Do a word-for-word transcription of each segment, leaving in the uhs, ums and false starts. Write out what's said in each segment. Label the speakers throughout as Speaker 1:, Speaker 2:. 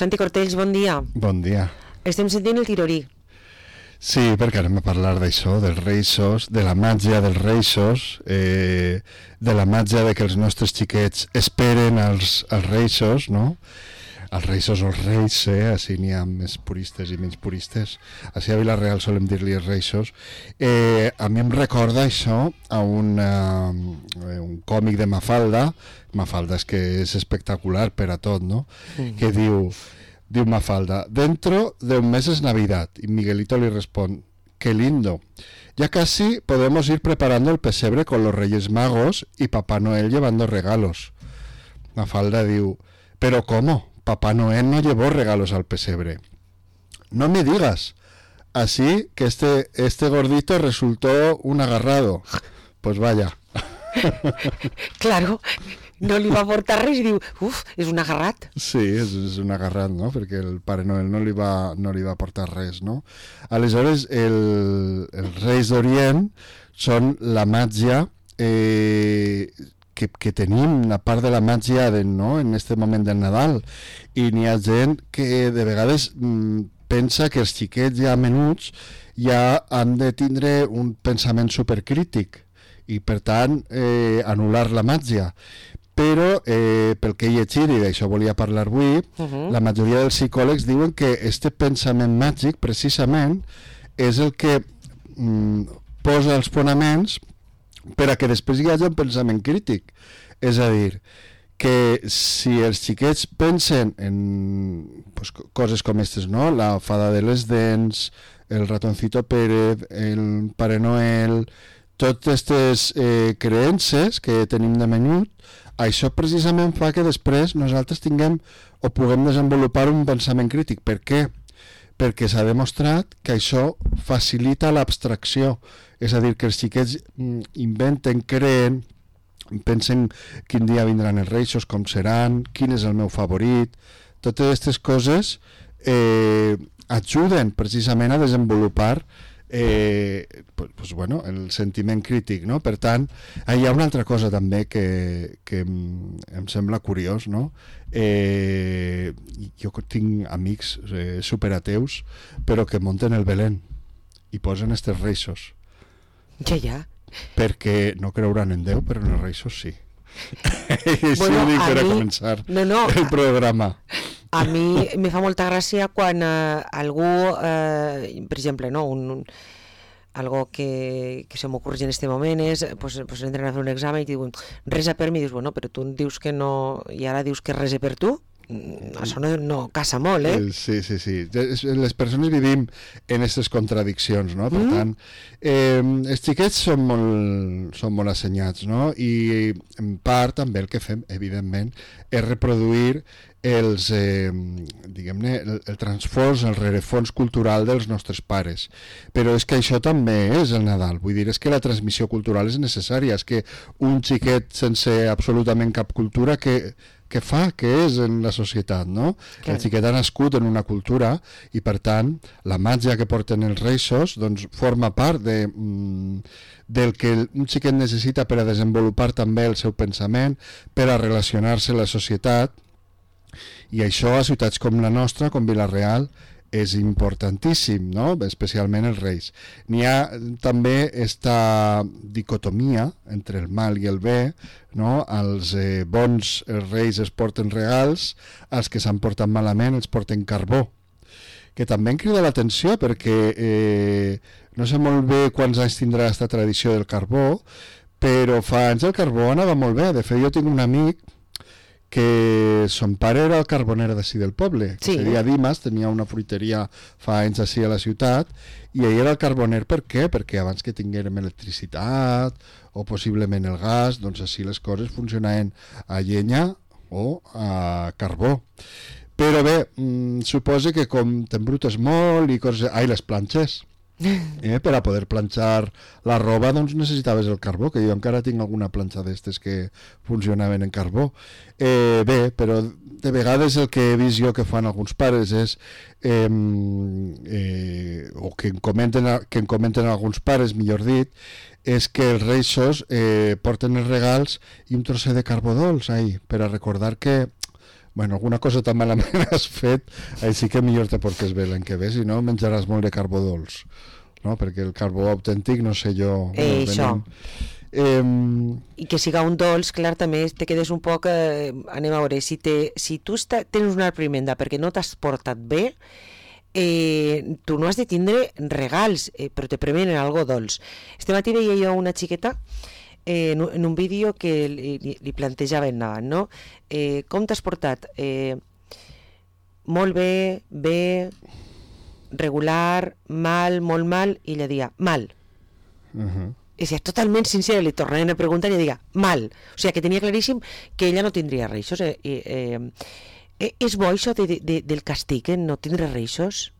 Speaker 1: Santi Cortells, bon dia.
Speaker 2: Bon dia.
Speaker 1: Estem sentint el tirorí.
Speaker 2: Sí, perquè anem a parlar d'això, dels reixos, de la màgia dels reixos, eh, de la màgia de que els nostres xiquets esperen els, els reixos, no? Els reixos o els reis, eh? Així n'hi ha més puristes i menys puristes. Així a Vila-real solem dir-li els reixos. Eh, a mi em recorda això a un, uh, un còmic de Mafalda. Mafalda és que és espectacular per a tot, no? Mm. Que diu... Diu Mafalda, dentro de un mes es Navidad. Y Miguelito le responde, qué lindo. Ya casi podemos ir preparando el pesebre con los Reyes Magos y Papá Noel llevando regalos. Mafalda diu, pero ¿cómo? Papá Noel no llevó regalos al pesebre. No me digas. Así que este, este gordito resultó un agarrado. Pues vaya.
Speaker 1: Claro. No li va portar res i diu, uf, és un agarrat.
Speaker 2: Sí, és, és un agarrat, no? Perquè el Pare Noel no li va, no li va portar res, no? Aleshores, el, els Reis d'Orient són la màgia eh, que, que tenim, una part de la màgia de, no? En aquest moment del Nadal. I n'hi ha gent que de vegades mm, pensa que els xiquets ja menuts ja han de tindre un pensament supercrític i, per tant, eh, anul·lar la màgia. Però eh, pel que he llegit, i d'això volia parlar avui, uh-huh. La majoria dels psicòlegs diuen que este pensament màgic precisament és el que mm, posa els fonaments per a que després hi hagi un pensament crític. És a dir, que si els xiquets pensen en pues, coses com aquestes, no? La fada de les dents, el ratoncito Pérez, el Pare Noel, totes aquestes eh, creences que tenim de menut, això precisament fa que després nosaltres tinguem o puguem desenvolupar un pensament crític. Per què? Perquè s'ha demostrat que això facilita l'abstracció. És a dir, que els xiquets inventen, creen, pensen quin dia vindran els reixos, com seran, quin és el meu favorit. Totes aquestes coses eh, ajuden precisament a desenvolupar Eh, pues, pues bueno, el sentiment crític, no? Per tant, hi ha una altra cosa també que, que em sembla curiós, no? Eh, jo tinc amics eh, superateus però que munten el Belén i posen estes reixos.
Speaker 1: Ja, ja.
Speaker 2: Perquè no creuran en Déu, però en els reixos sí. I això
Speaker 1: bueno,
Speaker 2: ho dic per a
Speaker 1: mi...
Speaker 2: començar
Speaker 1: no, no,
Speaker 2: el programa.
Speaker 1: A mi me fa molta gràcia quan eh, algú, eh, per exemple, no, un, un, algo que, que se m'ocorre en este moment és, pues, pues entren a fer un examen i diuen, resa per mi, i dius, bueno, però tu dius que no, i ara dius que rese per tu? Això no, no casa molt, eh?
Speaker 2: Sí, sí, sí. Les persones vivim en aquestes contradiccions, no? Per mm. tant, eh, els xiquets són molt, són molt assenyats, no? I en part també el que fem, evidentment, és reproduir els, eh, diguem-ne, el, el transfons, el rerefons cultural dels nostres pares. Però és que això també és el Nadal. Vull dir, és que la transmissió cultural és necessària. És que un xiquet sense absolutament cap cultura que que fa, que és en la societat, no? Clar. El xiquet ha nascut en una cultura i, per tant, la màgia que porten els reixos doncs, forma part de, mm, del que un xiquet necessita per a desenvolupar també el seu pensament, per a relacionar-se amb la societat, i això a ciutats com la nostra, com Vila-real, és importantíssim, no? Especialment els reis. N'hi ha també esta dicotomia entre el mal i el bé, no? Els eh, bons els reis es porten regals, els que s'han portat malament els porten carbó, que també em crida l'atenció perquè eh, no sé molt bé quants anys tindrà aquesta tradició del carbó, però fa anys el carbó anava molt bé. De fet, jo tinc un amic que son pare era el carboner d'ací del poble, que sí. Seria Dimas, tenia una fruiteria fa anys així a la ciutat, i ell era el carboner. Per què? Perquè abans que tinguérem electricitat o possiblement el gas, doncs així les coses funcionaven a llenya o a carbó. Però bé, mmm, suposa que com t'embrutes molt i coses... Ai, les planxes. Eh, per a poder planxar la roba doncs necessitaves el carbó, que jo encara tinc alguna planxa d'estes que funcionaven en carbó. Eh, bé, però de vegades el que he vist jo que fan alguns pares és eh, eh, o que em comenten, que em comenten alguns pares, millor dit, és que els reixos eh, porten els regals i un trosset de carbó dolç ahí, per a recordar que bueno, alguna cosa tan malament has fet, així que millor te portes bé l'any que ve, si no menjaràs molt de carbó dolç, no? Perquè el carbó autèntic, no sé jo...
Speaker 1: Eh, això.
Speaker 2: Eh,
Speaker 1: I que siga un dolç, clar, també te quedes un poc... Eh, anem a veure, si, te, si tu està, tens una reprimenda perquè no t'has portat bé, eh, tu no has de tindre regals, eh, però te premenen algo dolç. Este matí veia jo una xiqueta eh, en, un, en un vídeo que li, li plantejaven davant, no? Eh, com t'has portat? Eh, molt bé, bé, regular, mal, molt mal, i ella deia, mal.
Speaker 2: uh-huh.
Speaker 1: I si és totalment sincera, li tornaven a preguntar i ella deia, mal. O sigui, que tenia claríssim que ella no tindria reixos. Eh, eh, eh, és bo això de, de, del castig, eh, no tindre reixos?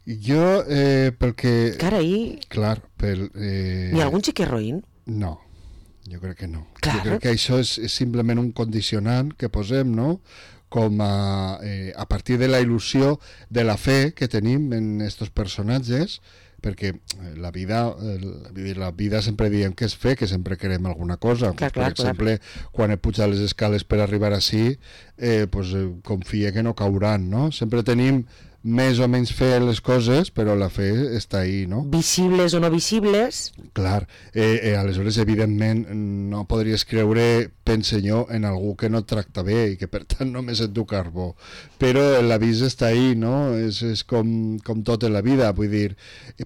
Speaker 2: Jo, eh, perquè...
Speaker 1: Carai.
Speaker 2: Clar, pel... Eh...
Speaker 1: N'hi ha algun xiquet roïn?
Speaker 2: No, jo crec que no.
Speaker 1: Clar.
Speaker 2: Jo crec que això és, és simplement un condicionant que posem, no?, com a, eh, a partir de la il·lusió de la fe que tenim en estos personatges, perquè la vida, eh, la vida sempre diem que és fe, que sempre querem alguna cosa.
Speaker 1: Clar,
Speaker 2: pues,
Speaker 1: clar,
Speaker 2: per exemple, clar. Quan he pujat les escales per arribar ací, eh, pues, eh, confia que no cauran, no? Sempre tenim més o menys fe en les coses, però la fe està ahí, no?
Speaker 1: Visibles o no visibles.
Speaker 2: Clar, eh, eh, aleshores, evidentment, no podries creure, pense jo, en algú que no et tracta bé i que, per tant, només et du carbó. Però l'avís està ahí, no? És, és com, com tot en la vida, vull dir...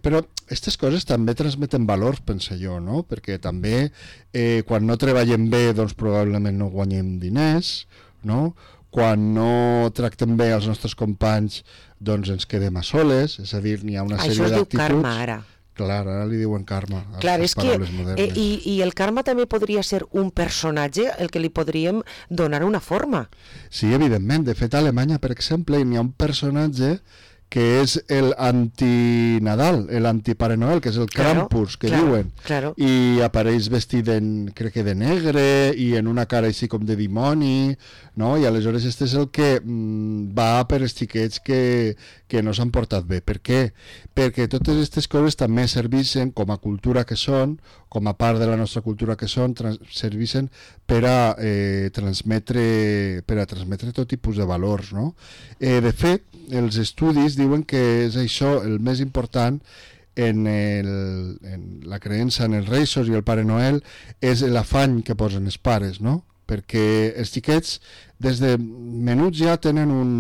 Speaker 2: Però aquestes coses també transmeten valors, pense jo, no? Perquè també, eh, quan no treballem bé, doncs probablement no guanyem diners, no? Quan no tractem bé els nostres companys, doncs ens quedem a soles, és a dir, n'hi ha una
Speaker 1: Això
Speaker 2: sèrie d'actituds...
Speaker 1: Això es diu karma, ara.
Speaker 2: Clar, ara li diuen karma.
Speaker 1: Clar, és que... Eh, i, I el karma també podria ser un personatge el que li podríem donar una forma.
Speaker 2: Sí, evidentment. De fet, a Alemanya, per exemple, n'hi ha un personatge que és el anti-Nadal, el anti-Pare Noel, que és el
Speaker 1: claro,
Speaker 2: Krampus, que
Speaker 1: claro,
Speaker 2: diuen.
Speaker 1: Claro.
Speaker 2: I apareix vestit, en, crec que de negre, i en una cara així com de dimoni, no? I aleshores este és el que mm, va per els xiquets que, que no s'han portat bé. Per què? Perquè totes aquestes coses també serveixen com a cultura que són, com a part de la nostra cultura que són, trans, serveixen per a eh, transmetre per a transmetre tot tipus de valors, no? Eh, de fet, els estudis diuen que és això el més important en, el, en la creença en els Reis i el Pare Noel, és l'afany que posen els pares, no? Perquè els xiquets des de menuts ja tenen un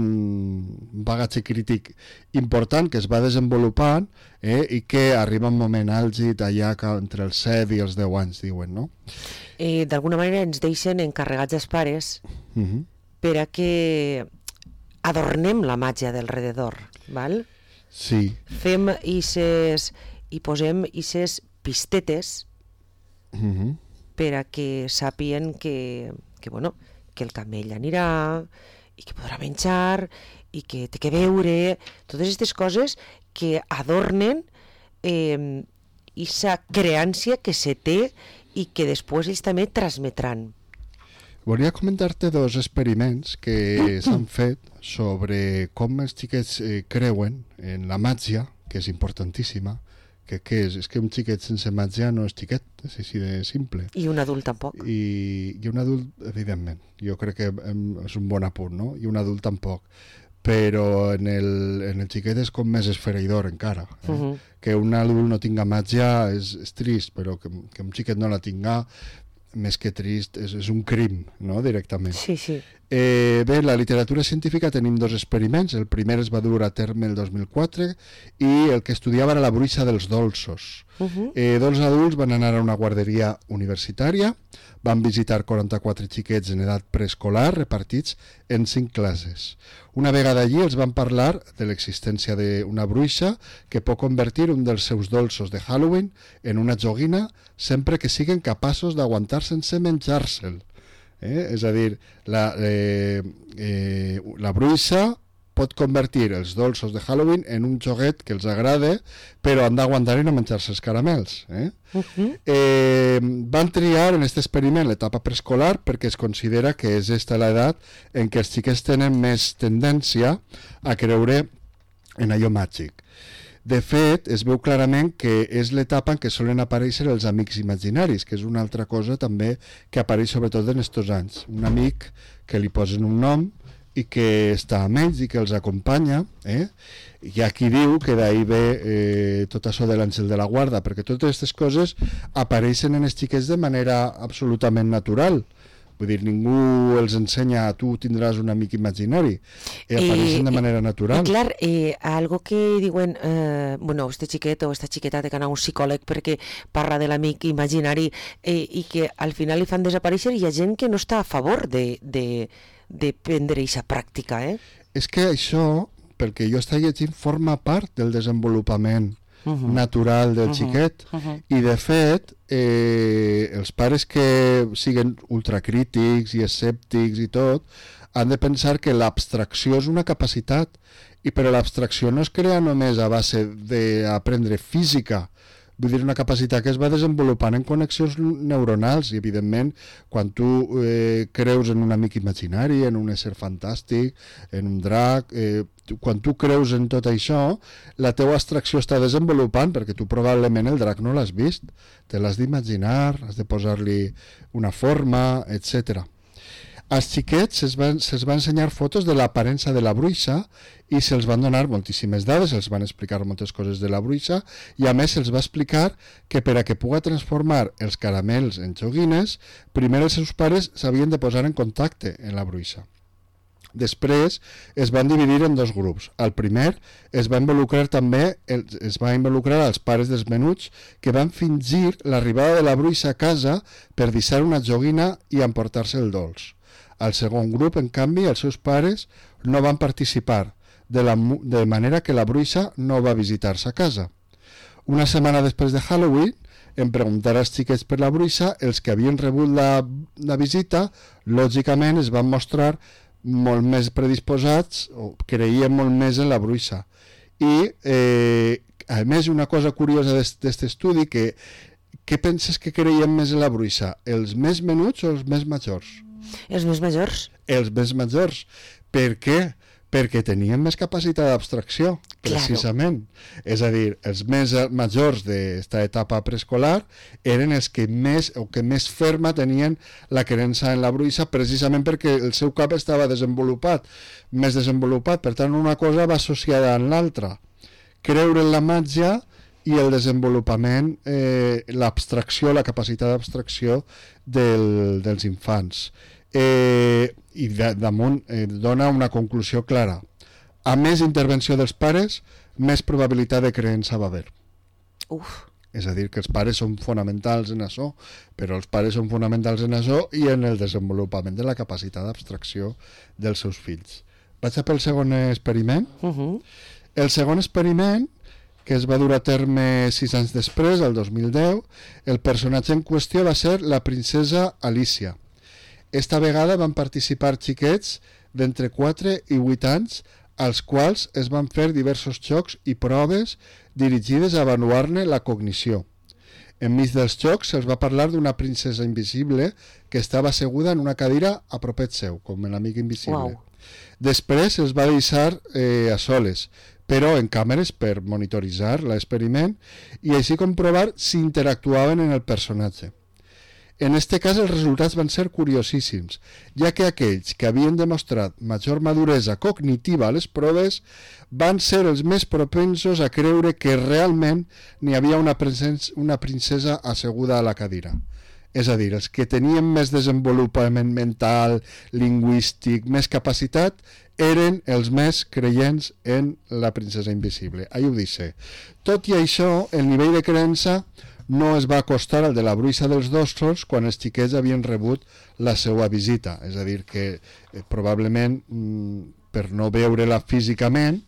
Speaker 2: bagatge crític important que es va desenvolupant, eh, i que arriba un moment àlgid allà entre els set i els deu anys, diuen, no?
Speaker 1: Eh, d'alguna manera ens deixen encarregats els pares uh-huh. per a que adornem la màgia del rededor, val?
Speaker 2: Sí.
Speaker 1: Fem ises i posem ises pistetes
Speaker 2: uh-huh.
Speaker 1: per a que sàpien que, que, bueno, que el camell anirà i que podrà menjar i que té que veure, totes aquestes coses que adornen eh, esa creància que se té i que després ells també transmetran.
Speaker 2: Volia comentar-te dos experiments que s'han fet sobre com els xiquets eh, creuen en la màgia, que és importantíssima, que què és? És que un xiquet sense màgia no és xiquet, és així de simple.
Speaker 1: I un adult tampoc.
Speaker 2: I, i un adult, evidentment, jo crec que és un bon apunt, no? I un adult tampoc. Però en el, en el xiquet és com més esfereïdor encara. Eh? Uh-huh. Que un adult no tinga màgia és, és trist, però que, que un xiquet no la tinga, més que trist, és, és un crim, no?, directament.
Speaker 1: Sí, sí.
Speaker 2: Eh, bé, en la literatura científica tenim dos experiments. El primer es va dur a terme el dos mil quatre i el que estudiava era la bruixa dels dolços. Uh-huh. eh, dos adults van anar a una guarderia universitària, van visitar quaranta-quatre xiquets en edat preescolar repartits en cinc classes. Una vegada allí els van parlar de l'existència d'una bruixa que pot convertir un dels seus dolços de Halloween en una joguina sempre que siguin capaços d'aguantar sense menjar-se'l. Eh? És a dir, la, eh, eh, la bruixa pot convertir els dolços de Halloween en un joguet que els agrada, però han d'aguantar i no menjar-se els caramels. Eh? Uh-huh. Eh, van triar en aquest experiment l'etapa preescolar perquè es considera que és esta l'edat en què els xiquets tenen més tendència a creure en allò màgic. De fet, es veu clarament que és l'etapa en què solen aparèixer els amics imaginaris, que és una altra cosa també que apareix sobretot en estos anys. Un amic que li posen un nom i que està amb ells i que els acompanya, eh? Hi ha qui diu que d'ahir ve eh, tot això de l'àngel de la guarda, perquè totes aquestes coses apareixen en els xiquets de manera absolutament natural. Vull dir, ningú els ensenya a tu tindràs un amic imaginari, eh, apareixen de manera natural.
Speaker 1: I clar, eh, algo que diuen, eh, bueno, este xiquet o esta xiqueta té que anar a un psicòleg perquè parla de l'amic imaginari eh, i que al final li fan desaparèixer, i hi ha gent que no està a favor de, de, de prendre aquesta pràctica, eh?
Speaker 2: És que això, perquè jo està llegint, forma part del desenvolupament uh-huh. natural del uh-huh. xiquet, uh-huh. i de fet eh, els pares que siguen ultracrítics i escèptics i tot han de pensar que l'abstracció és una capacitat, i però l'abstracció no es crea només a base d'aprendre física. Vull dir, una capacitat que es va desenvolupant en connexions neuronals, i evidentment quan tu eh, creus en un amic imaginari, en un ésser fantàstic, en un drac, eh, quan tu creus en tot això, la teua abstracció està desenvolupant, perquè tu probablement el drac no l'has vist, te l'has d'imaginar, has de posar-li una forma, etcètera. Als xiquets se'ls va, se va ensenyar fotos de l'aparença de la bruixa i se'ls van donar moltíssimes dades, se'ls van explicar moltes coses de la bruixa, i a més se'ls va explicar que per a que puga transformar els caramels en joguines, primer els seus pares s'havien de posar en contacte amb la bruixa. Després es van dividir en dos grups. El primer es va involucrar també es va involucrar els pares dels menuts, que van fingir l'arribada de la bruixa a casa per deixar una joguina i emportar-se el dolç. Al segon grup, en canvi, els seus pares no van participar, de, la, de manera que la bruixa no va visitar-se a casa. Una setmana després de Halloween, en preguntar als xiquets per la bruixa, els que havien rebut la, la visita, lògicament es van mostrar molt més predisposats, o creien molt més en la bruixa. I, eh, a més, una cosa curiosa d'aquest estudi, que què penses que creien més en la bruixa? Els més menuts o els més majors?
Speaker 1: Els més majors.
Speaker 2: Els més majors. Per què? Perquè tenien més capacitat d'abstracció, precisament. Claro. És a dir, els més majors d'esta etapa preescolar eren els que més o que més ferma tenien la creença en la bruixa, precisament perquè el seu cap estava desenvolupat, més desenvolupat. Per tant, una cosa va associada amb l'altra. Creure en la màgia i el desenvolupament, eh, l'abstracció, la capacitat d'abstracció del, dels infants. Eh, i de, damunt eh, dona una conclusió clara. A més intervenció dels pares, més probabilitat de creença va haver.
Speaker 1: Uf.
Speaker 2: És a dir, que els pares són fonamentals en això, però els pares són fonamentals en això i en el desenvolupament de la capacitat d'abstracció dels seus fills. Vaig a pel segon experiment. Uh-huh. El segon experiment, que es va dur a terme sis anys després, el dos mil deu, el personatge en qüestió va ser la princesa Alicia. Esta vegada van participar xiquets d'entre quatre i vuit anys, als quals es van fer diversos jocs i proves dirigides a avaluar-ne la cognició. Enmig dels jocs se'ls va parlar d'una princesa invisible que estava asseguda en una cadira a propet seu, com l'amic invisible. Wow. Després se'ls va deixar eh, a soles, però en càmeres per monitoritzar l'experiment i així comprovar si interactuaven en el personatge. En este cas els resultats van ser curiosíssims, ja que aquells que havien demostrat major maduresa cognitiva a les proves van ser els més propensos a creure que realment n'hi havia una, una princesa asseguda a la cadira. És a dir, els que tenien més desenvolupament mental, lingüístic, més capacitat, eren els més creients en la princesa invisible. Ahí ho dice. Tot i això, el nivell de creença no es va acostar al de la bruixa dels dolços quan els xiquets havien rebut la seva visita. És a dir, que eh, probablement mm, per no veure-la físicament,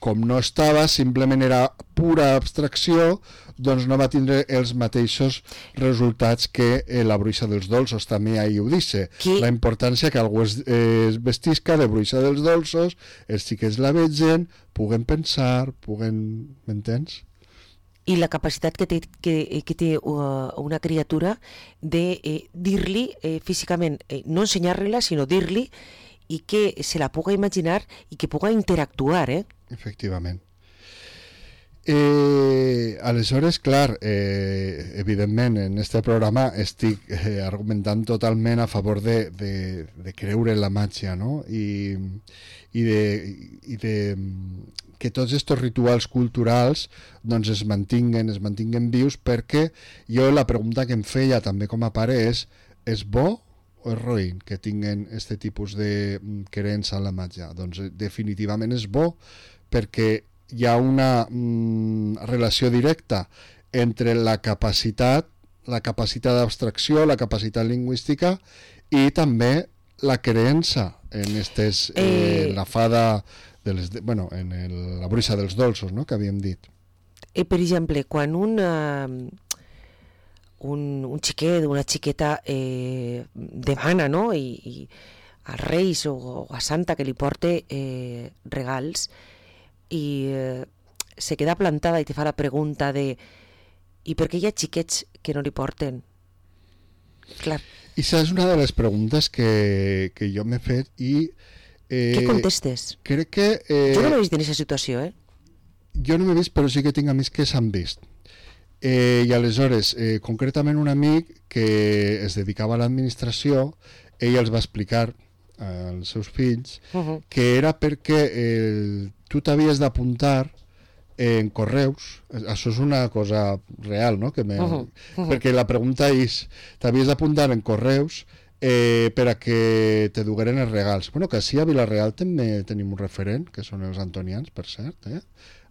Speaker 2: com no estava, simplement era pura abstracció, doncs no va tindre els mateixos resultats que eh, la bruixa dels dolços. També ahí ho dice. Qui? La importància que algú es, eh, es vestisca de bruixa dels dolços, els xiquets la vegen, puguen pensar, puguen... M'entens?
Speaker 1: I la capacitat que té, que, que té uh, una criatura de eh, dir-li eh, físicament, eh, no ensenyar-li-la, sinó dir-li, i que se la puga imaginar i que puga interactuar, eh?
Speaker 2: Efectivament. Eh, aleshores, clar, eh, evidentment en este programa estic eh, argumentant totalment a favor de, de, de creure en la màgia, no? I, i, de, i de que tots aquests rituals culturals doncs es mantinguen, es mantinguen vius, perquè jo la pregunta que em feia també com a pare és, és bo o és roïn que tinguen aquest tipus de creença en la màgia? Doncs definitivament és bo, perquè hi ha una mm, relació directa entre la capacitat, la capacitat d'abstracció, la capacitat lingüística i també la creença en estes, eh, eh, la fada de les, bueno, en el, la bruixa dels dolços, no?, que havíem dit.
Speaker 1: Eh, per exemple, quan un, uh, un, un xiquet, una xiqueta eh, demana, no?, i, i als Reis o, o a Santa que li porte eh, regals, i eh, se queda plantada i te fa la pregunta de i per què hi ha xiquets que no li porten? Clar.
Speaker 2: I això és una de les preguntes que, que jo m'he fet i... Eh,
Speaker 1: què contestes?
Speaker 2: Crec que... Eh,
Speaker 1: jo no m'he vist en aquesta situació, eh?
Speaker 2: Jo no m'he vist, però sí que tinc amics que s'han vist. Eh, I aleshores, eh, concretament un amic que es dedicava a l'administració, ell els va explicar als seus fills uh-huh. que era perquè el, tu t'havies d'apuntar en correus, això és una cosa real, no? Que me... uh-huh. Uh-huh. Perquè la pregunta és, t'havies d'apuntar en correus eh, per a que te dugueren els regals. Bueno, que així a Vila-real també tenim un referent, que són els antonians, per cert, eh?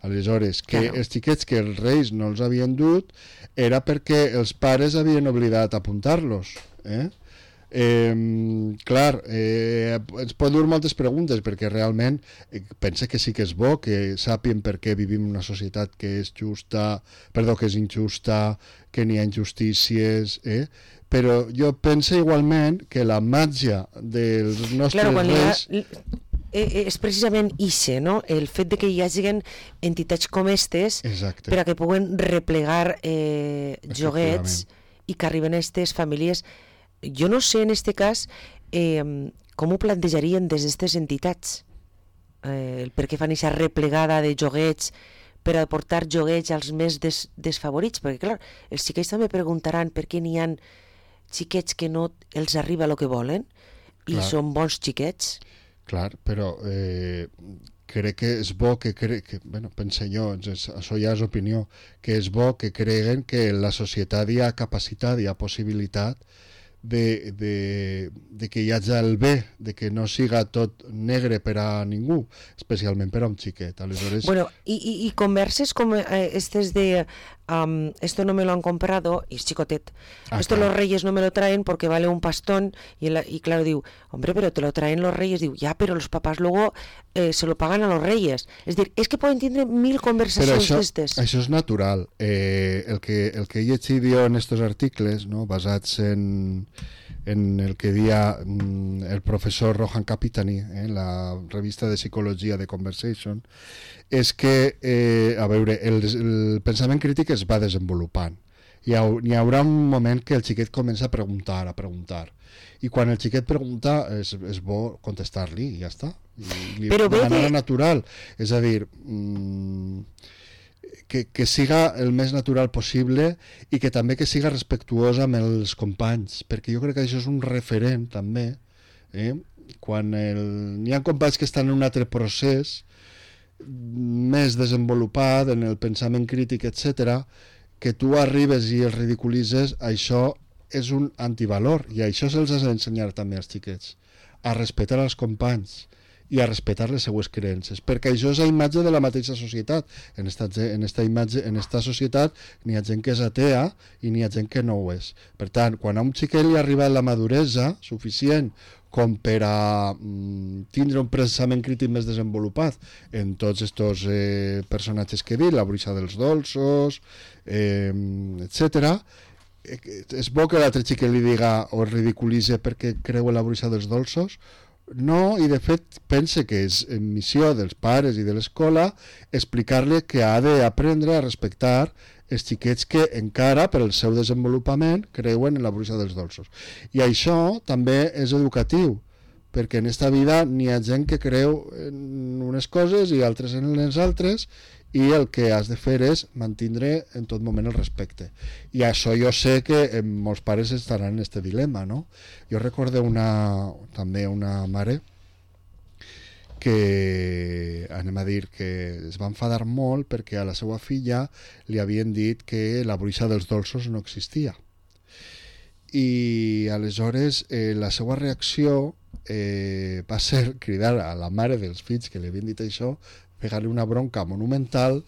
Speaker 2: Aleshores, que claro. Els xiquets que els reis no els havien dut era perquè els pares havien oblidat apuntar-los, eh? Eh, clar, eh, ens pot dur moltes preguntes, perquè realment eh, pensa que sí que és bo que sàpien per què vivim en una societat que és justa, perdó, que és injusta, que n'hi ha injustícies, eh? Però jo penso igualment que la màgia dels nostres
Speaker 1: claro,
Speaker 2: reis...
Speaker 1: Ha... és precisament ixe, no? El fet de que hi hagi entitats com estes
Speaker 2: Exacte.
Speaker 1: Per a que puguen replegar eh, joguets i que arriben a aquestes famílies. Jo no sé en este cas eh, com ho plantejarien des d'aquestes entitats, eh, el per què fan aquesta replegada de joguets per a portar joguets als més des, desfavorits, perquè clar, els xiquets també preguntaran per què n'hi ha xiquets que no els arriba el que volen i clar. Són bons xiquets.
Speaker 2: Clar, però eh, crec que és bo que, cre... que bueno, pense jo, això ja és opinió, que és bo que creguen que en la societat hi ha capacitat, hi ha possibilitat de, de, de que hi hagi el bé, de que no siga tot negre per a ningú, especialment per a un xiquet. Aleshores...
Speaker 1: Bueno, y, y, y converses com eh, estes de um, esto no me lo han comprado, y es chicotet, ah, esto claro. Los reyes no me lo traen porque vale un pastón, y, el, y claro, diu, hombre, pero te lo traen los reyes, diu, ya, pero los papás luego eh, se lo pagan a los reyes. Es decir, es que pueden tener mil conversacions d'estes.
Speaker 2: Això és natural. Eh, el, que, el que he llegit jo en estos articles, no, basats en en el que dia mm, el professor Rohan Kapitani, eh, en la revista de psicologia de Conversation, és que, eh, a veure, el, el pensament crític es va desenvolupant. Hi, ha, hi haurà un moment que el xiquet comença a preguntar, a preguntar. I quan el xiquet pregunta, és, és bo contestar-li i ja està. I, li,
Speaker 1: Però
Speaker 2: de manera
Speaker 1: que...
Speaker 2: natural. És a dir... Mm, Que, que siga el més natural possible i que també que siga respectuosa amb els companys, perquè jo crec que això és un referent també, eh? Quan el... n'hi ha companys que estan en un altre procés més desenvolupat en el pensament crític, etcètera, que tu arribes i els ridiculitzes, això és un antivalor i això se'ls ha d'ensenyar també als xiquets, a respectar els companys i a respectar les seues creences, perquè això és la imatge de la mateixa societat. En esta, en esta imatge, en esta societat n'hi ha gent que és atea i n'hi ha gent que no ho és. Per tant, quan a un xiquet li ha arribat la maduresa suficient com per a mm, tindre un pensament crític més desenvolupat en tots aquests eh, personatges que he dit, la bruixa dels dolços, eh, etcètera, és bo que l'altre xiquet li diga o ridiculitze perquè creu en la bruixa dels dolços. No, i de fet pense que és missió dels pares i de l'escola explicar-li que ha d'aprendre a respectar els xiquets que encara per el seu desenvolupament creuen en la bruixa dels dolços. I això també és educatiu, perquè en esta vida n'hi ha gent que creu en unes coses i altres en les altres, i el que has de fer és mantindre en tot moment el respecte. I això jo sé que molts pares estaran en aquest dilema, no? Jo recordo una, també una mare que, anem a dir, que es va enfadar molt perquè a la seva filla li havien dit que la bruixa dels dolços no existia. I aleshores eh, la seva reacció eh, va ser cridar a la mare dels fills que li havien dit això, pegar-li una bronca monumental,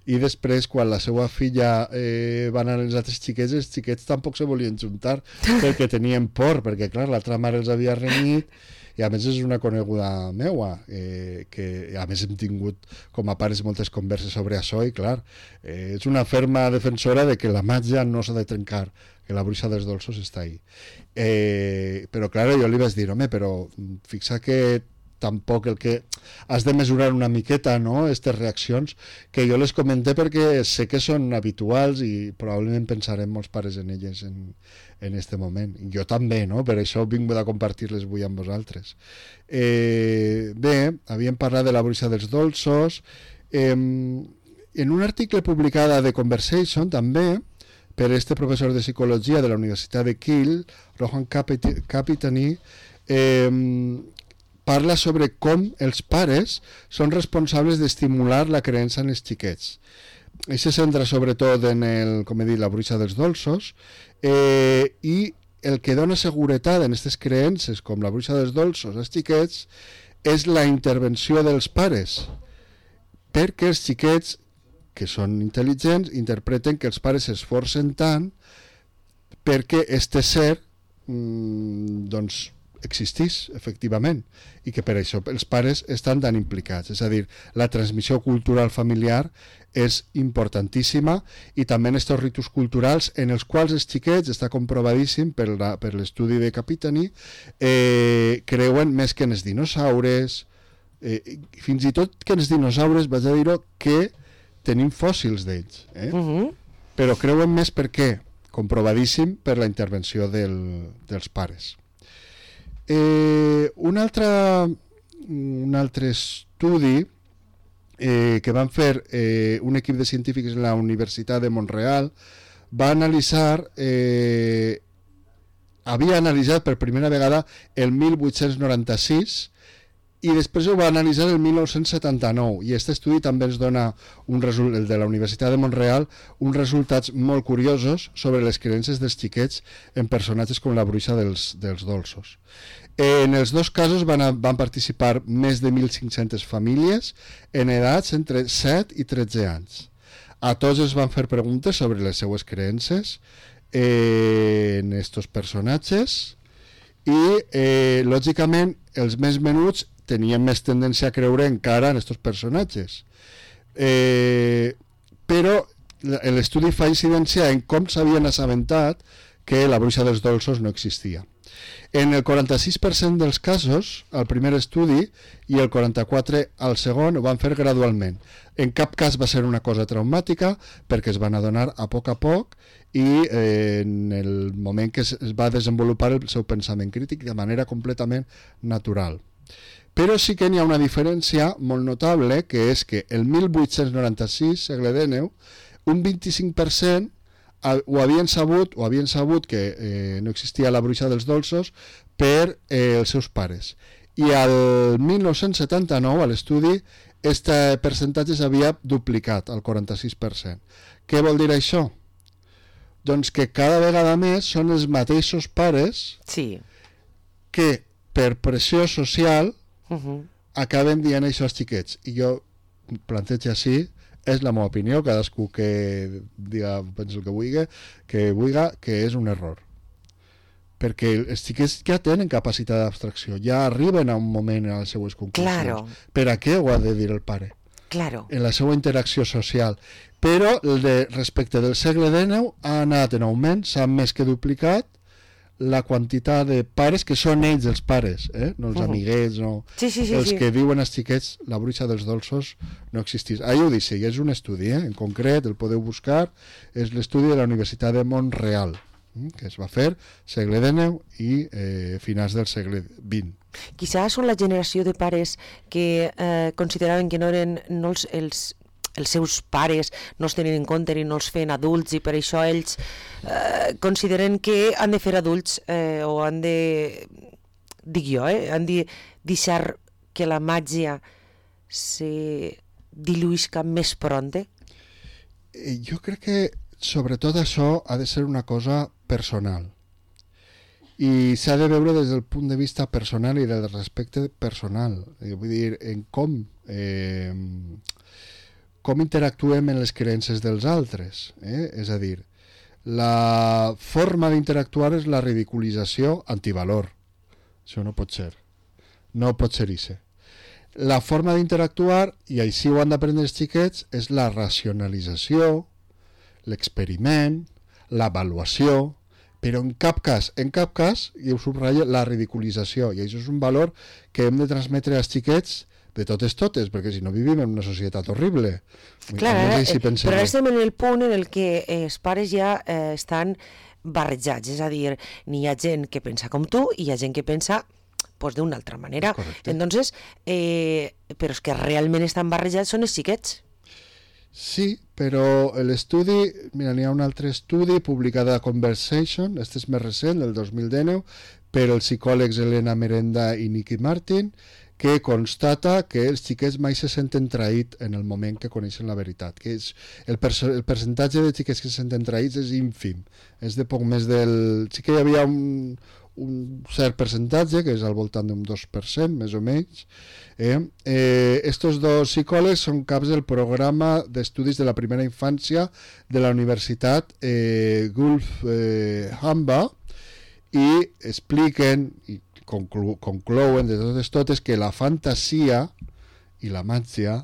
Speaker 2: i després quan la seva filla eh, va anar als altres xiquets, els xiquets tampoc se volien juntar perquè tenien por, perquè clar, l'altra mare els havia renyit, i a més és una coneguda meua, eh, que a més hem tingut com a pares moltes converses sobre això, i clar, eh, és una ferma defensora de que la màgia no s'ha de trencar, que la bruixa dels dolços està ahí. Eh, però clar, jo li vaig dir, home, però fixa que tampoc el que has de mesurar una miqueta, no?, aquestes reaccions, que jo les comenté perquè sé que són habituals i probablement pensarem molts pares en elles en, en este moment. I jo també, no?, per això he vingut a compartir-les avui amb vosaltres. Eh, bé, havíem parlat de la bruixa dels dolços. Eh, en un article publicat a The Conversation, també, per este professor de psicologia de la Universitat de Kiel, Rohan Kapitani, eh, parla sobre com els pares són responsables d'estimular la creença en els xiquets. I se centra sobretot en el, com he dit, la bruixa dels dolços, eh, i el que dona seguretat en aquestes creences, com la bruixa dels dolços als xiquets, és la intervenció dels pares, perquè els xiquets, que són intel·ligents, interpreten que els pares s'esforcen tant perquè este ser mmm, doncs, existís, efectivament, i que per això els pares estan tan implicats. És a dir, la transmissió cultural familiar és importantíssima, i també en aquests ritus culturals en els quals els xiquets, està comprovadíssim per, la, per l'estudi de Kapitani, eh, creuen més que en els dinosaures, eh, fins i tot que en els dinosaures, vaig a dir-ho, que tenim fòssils d'ells, eh? Uh-huh. Però creuen més per què? Comprovadíssim per la intervenció del, dels pares. Eh, un, altre, un altre estudi eh, que van fer eh, un equip de científics en la Universitat de Montreal va analitzar, eh, havia analitzat per primera vegada el mil vuit-cents noranta-sis i després ho va analitzar el mil nou-cents setanta-nou, i aquest estudi també ens dona, un result, el de la Universitat de Montreal, uns resultats molt curiosos sobre les creences dels xiquets en personatges com la bruixa dels, dels dolços. En els dos casos van, a, van participar més de mil cinc-centes famílies en edats entre set i tretze anys. A tots es van fer preguntes sobre les seues creences eh, en estos personatges, i eh, lògicament els més menuts tenien més tendència a creure encara en aquests personatges. Eh, però l'estudi fa incidència en com s'havien assabentat que la bruixa dels dolços no existia. En el quaranta-sis per cent dels casos, al primer estudi, i el quaranta-quatre per cent al segon, ho van fer gradualment. En cap cas va ser una cosa traumàtica, perquè es van adonar a poc a poc, i eh, en el moment que es va desenvolupar el seu pensament crític de manera completament natural. Però sí que n'hi ha una diferència molt notable, que és que el mil vuit-cents noranta-sis, segle dinou, un vint-i-cinc per cent ho havien sabut, o havien sabut que eh, no existia la bruixa dels dolços per eh, els seus pares. I al mil nou-cents setanta-nou, a l'estudi, aquest percentatge s'havia duplicat, al quaranta-sis per cent. Què vol dir això? Doncs que cada vegada més són els mateixos pares
Speaker 1: sí.
Speaker 2: que per pressió social
Speaker 1: uh-huh.
Speaker 2: acaben dient això als xiquets. I jo plantejo així, és la meva opinió, cadascú que diga, pensi el que vulgui, que vulgui, que és un error. Perquè els xiquets ja tenen capacitat d'abstracció, ja arriben a un moment a les seues conclusions.
Speaker 1: Claro.
Speaker 2: Per a què ho ha de dir el pare?
Speaker 1: Claro.
Speaker 2: En la seva interacció social. Però el de, respecte del segle dinou ha anat en augment, s'ha més que duplicat la quantitat de pares que són ells els pares, eh? No els uh-huh. amiguets, no.
Speaker 1: Sí, sí, sí,
Speaker 2: els
Speaker 1: sí.
Speaker 2: que diuen als xiquets la bruixa dels dolços no existís. Ahí ho dice, i és un estudi, eh? En concret, el podeu buscar, és l'estudi de la Universitat de Montreal, eh? Que es va fer segle dinou i eh, finals del segle vint.
Speaker 1: Quizás són la generació de pares que eh, consideraven que no eren no els, els els seus pares no els tenen en compte i no els feien adults i per això ells eh, consideren que han de fer adults eh, o han de, dic jo, eh, han de deixar que la màgia se diluïsca més pronte?
Speaker 2: Jo crec que sobretot això ha de ser una cosa personal i s'ha de veure des del punt de vista personal i del respecte personal, vull dir, en com eh, com interactuem en les creences dels altres, eh? És a dir, la forma d'interactuar és la ridiculització antivalor, això no pot ser, no pot ser això. La forma d'interactuar, i així ho han d'aprendre els xiquets, és la racionalització, l'experiment, l'avaluació, però en cap cas, en cap cas, i ho subratllo, la ridiculització, i això és un valor que hem de transmetre als xiquets de totes totes, perquè si no vivim en una societat horrible.
Speaker 1: Clar, no sé si però ara estem en el punt en el que els pares ja eh, estan barrejats, és a dir, n'hi ha gent que pensa com tu i hi ha gent que pensa pues, d'una altra manera.
Speaker 2: Correcte.
Speaker 1: Entonces, eh, però és que realment estan barrejats són els xiquets.
Speaker 2: Sí, però l'estudi, mira, n'hi ha un altre estudi publicat a Conversation, este és més recent, del dos mil dinou, per els psicòlegs Elena Merenda i Nicky Martin, que constata que els xiquets mai se senten traïts en el moment que coneixen la veritat, que és el, perso- el percentatge de xiquets que se senten traïts és ínfim, és de poc més del... Sí que hi havia un, un cert percentatge, que és al voltant d'un dos per cent, més o menys. Eh? Eh, estos dos psicòlegs són caps del programa d'estudis de la primera infància de la Universitat eh, Gulf eh, Hamba i expliquen... I, Conclu- conclouen de totes totes que la fantasia i la màgia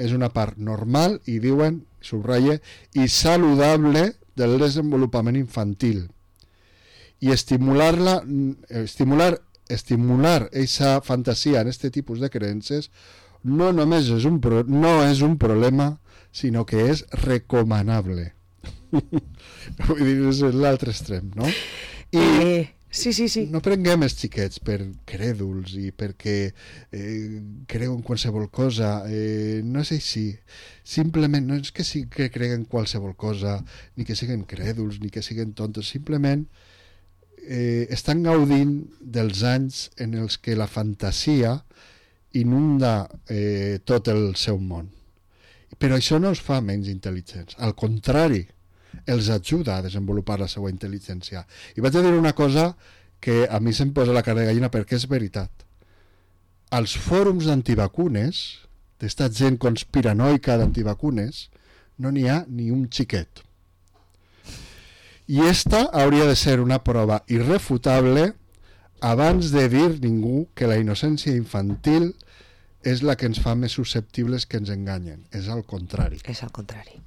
Speaker 2: és una part normal i diuen, subratlla, i saludable del desenvolupament infantil i estimular-la estimular estimular aquesta fantasia en aquest tipus de creences no només és un, pro- no és un problema sinó que és recomanable. Vull dir, és l'altre extrem, no? I
Speaker 1: Eh... Sí, sí, sí.
Speaker 2: no prenguem els xiquets per crèduls i perquè eh, creuen qualsevol cosa, eh, no és així. Simplement, no és que, sí, que creguen qualsevol cosa, ni que siguin crèduls, ni que siguin tontos, simplement eh, estan gaudint dels anys en els que la fantasia inunda eh, tot el seu món. Però això no els fa menys intel·ligents, al contrari, els ajuda a desenvolupar la seva intel·ligència. I vaig a dir una cosa que a mi se'm posa la cara de gallina perquè és veritat. Als fòrums d'antivacunes, d'esta gent conspiranoica d'antivacunes, no n'hi ha ni un xiquet. I esta hauria de ser una prova irrefutable abans de dir ningú que la innocència infantil és la que ens fa més susceptibles que ens enganyen. És al contrari.
Speaker 1: És al contrari.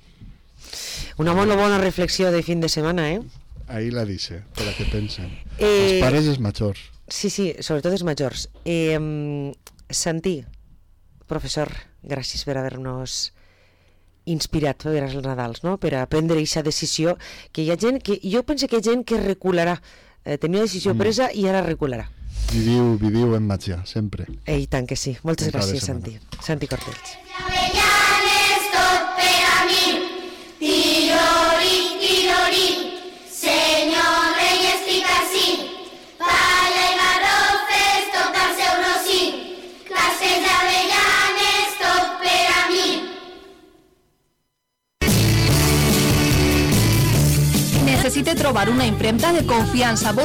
Speaker 1: Una molt bona reflexió de fin de setmana, eh?
Speaker 2: Ahí la dice, per a que pensen.
Speaker 1: Eh,
Speaker 2: Els pares i els majors.
Speaker 1: Sí, sí, sobretot els majors. Eh, Santi, professor, gràcies per haver-nos inspirat per als Nadals, no? Per a prendre aquesta decisió, que hi ha gent que... Jo penso que hi ha gent que recularà. Eh, tenia decisió
Speaker 2: Mm.
Speaker 1: presa i ara recularà.
Speaker 2: Viviu, viviu en màgia, sempre.
Speaker 1: Eh, I tant que sí. Moltes
Speaker 2: Un cap de
Speaker 1: gràcies,
Speaker 2: setmana.
Speaker 1: Santi. Santi Cortells.
Speaker 3: Avellanes tot per a mi, tirori, tirori, senyor rei estic ací, palla i garrofes tot al seu rossí, classes d'avellanes tot per a mi.
Speaker 4: Necessite trobar una impremta de confiança, bona